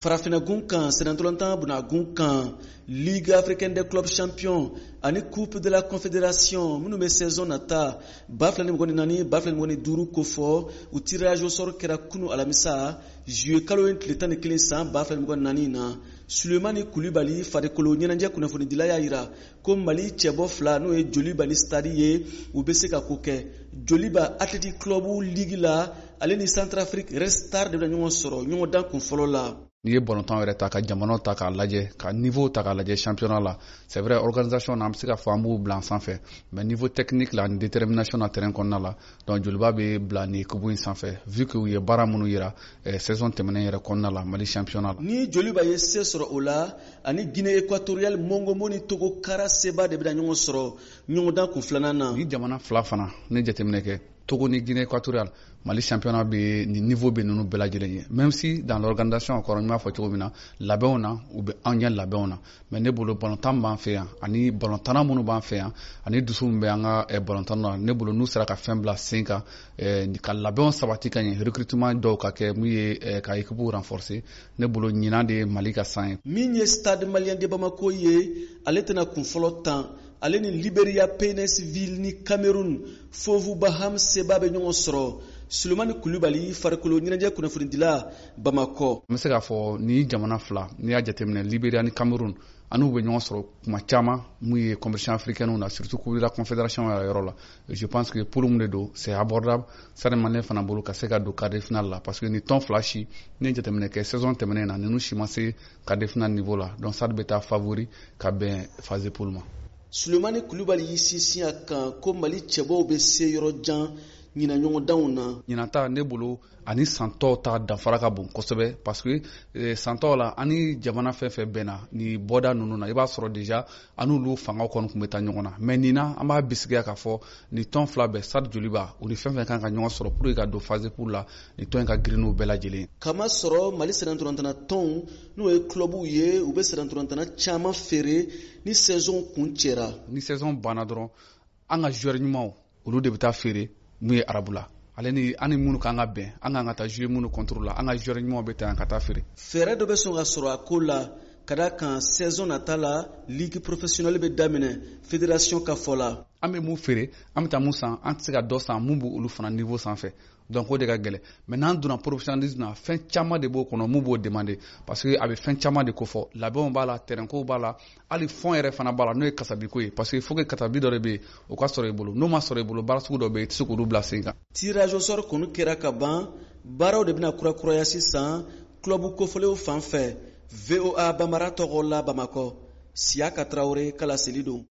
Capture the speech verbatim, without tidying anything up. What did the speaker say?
Farafinna kan, sennantolatan bunagun kan, Ligue africaine des clubs champions ani Coupe de la Confédération minnu bɛ saison nata ba fila ni mugan ni naani, ba fila ni mugan ni duuru kofɔ, u tirage au sort kɛra kunu alamisa, juillet kalo ye tile tan ni kelen san ba fila ni mugan ni naani na. Sulemani Kulibali, farikolo ɲɛnajɛ kunnafonidila, y'a yira ko Mali cɛbɔ fila, n'o ye Joliba ni Stade ye, u bɛ se ka ko kɛ. Joliba Athletic Club ligue la, ale ni Centrafrique Red Star de bɛna ɲɔgɔn sɔrɔ ɲɔgɔndan kun fɔlɔ la. N'i ye ballontan yɛrɛ ta, ka jamanaw ta k'a lajɛ, ka niveau ta k'a lajɛ championnat la, c'est vrai, organisation na, an bɛ se ka fɔ an b'u bila an sanfɛ, mais niveau technique la ani détermination na terrain kɔnɔna la, donc Joliba bɛ bila nin équipe in sanfɛ, vu que u ye baara minnu yira eh, saison tɛmɛnen yɛrɛ kɔnɔna la Mali championnat la. Ni Joliba ye se sɔrɔ o la, ani Guinée Équatoriale Mongomo ni Togo Kara seba de bɛna ɲɔgɔn sɔrɔ ɲɔgɔndan kun filanan na. Ni jamana fila fana ne jateminɛ kɛ, Togo ni Guinée Équatoriale, Mali championnat bɛ nin niveau bɛ ninnu bɛɛ lajɛlen ye, même si dans l'organisation encore, n b'a fɔ cogo min na, labɛnw na, u bɛ anw ɲɛ labɛnw na. Mais ne bolo, ballontan b'an fɛ yan ani ballontanna minnu b'an fɛ yan ani dusu min bɛ an ka ballontan na, ne bolo, n'u sera ka fɛn bila sen kan, ka labɛnw sabati ka ɲɛ, recrutement dɔw ka kɛ mun ye ka équipe renforcer, ne bolo, ɲinan de ye Mali ka san ye. Min ye Stade Malien de Bamako ye, ale tɛna kun fɔlɔ tan. Ale ni Liberia Paynesville ni Cameroun Fovu Baham seba bɛ ɲɔgɔn sɔrɔ. Sulemani Kulubali, farikolo ɲɛnajɛ kunnafonidila, Bamakɔ. N bɛ se k'a fɔ ni jamana fila, n'i y'a jateminɛ, Liberia ni Cameroun, an n'u bɛ ɲɔgɔn sɔrɔ kuma caman mun ye compétition africaine na, surtout Coupe de la Confédération yɛrɛ yɔrɔ la. Je pense que poule mun de don, c'est abordable Stade Malien fana bolo ka se ka don quart de finale la, parce que ni tɔn fila si, n'i ye jateminɛ kɛ saison tɛmɛnen na, ninnu si ma se quart de finale niveau la. Donc Stade bɛ taa favori ka bɛn phase de poule ma. Sulemani Kulubali y'i sinsin a kan ko Mali cɛbɔw bɛ se yɔrɔ jan ɲinan ɲɔgɔndanw na. Ɲinan ta, ne bolo, ani san tɔw ta danfara ka bon kosɛbɛ, parce que eh, san tɔw la, ani jamana fɛn fɛn bɛnna ni bɔda ninnu na, i b'a sɔrɔ déjà an n'olu fangaw kɔni tun bɛ taa ɲɔgɔn na. Mais nin na, an b'a bisigiya k'a fɔ ni tɔn fila bɛɛ, Stade, Joliba, u ni fɛn fɛn kan ka ɲɔgɔn sɔrɔ pour que ka don phase poule la, ni tɔn in ka girin n'u bɛɛ lajɛlen. Kama sɔrɔ Mali sennantolatan tɔnw, n'o ye clubw ye, u bɛ sennantolatan caman feere ni saison kun cɛra. Ni saison banna dɔrɔn, an ka joueur ɲumanw, olu de bɛ taa feere mun ye arabu la, ale ni an ni minnu kan ka bɛn, an kan ka taa jouer minnu contre la, an ka joueur ɲumanw bɛ taa yan ka taa feere. Fɛɛrɛ dɔ bɛ sɔn ka sɔrɔ a ko la, ka da kan saison nata la, ligue professionnelle bɛ daminɛ, fédération ka fɔ la. An bɛ mun feere, an bɛ taa mun san, an tɛ se ka dɔ san mun b'olu fana niveau sanfɛ, donc o de ka gɛlɛn. Mais n'an donna professionnalisme na, fɛn caman de b'o kɔnɔ mun b'o demander, parce que a bɛ fɛn caman de kofɔ: labɛnw b'a la, terrain kow b'a la, hali fond yɛrɛ fana b'a la, n'o ye kasabiko ye, parce que il faut que kasabi dɔ de bɛ yen, o ka sɔrɔ i bolo. N'o ma sɔrɔ i bolo, baara sugu dɔ bɛ yen, i tɛ se k'olu bila sen kan. Tirage au sort kɔni kɛra ka ban, baaraw de bɛna kurakuraya sisan club kofɔlenw fan fɛ. V O A Bambara tɔgɔ la, Bamakɔ, Siyaka Tarawele ka laseli don.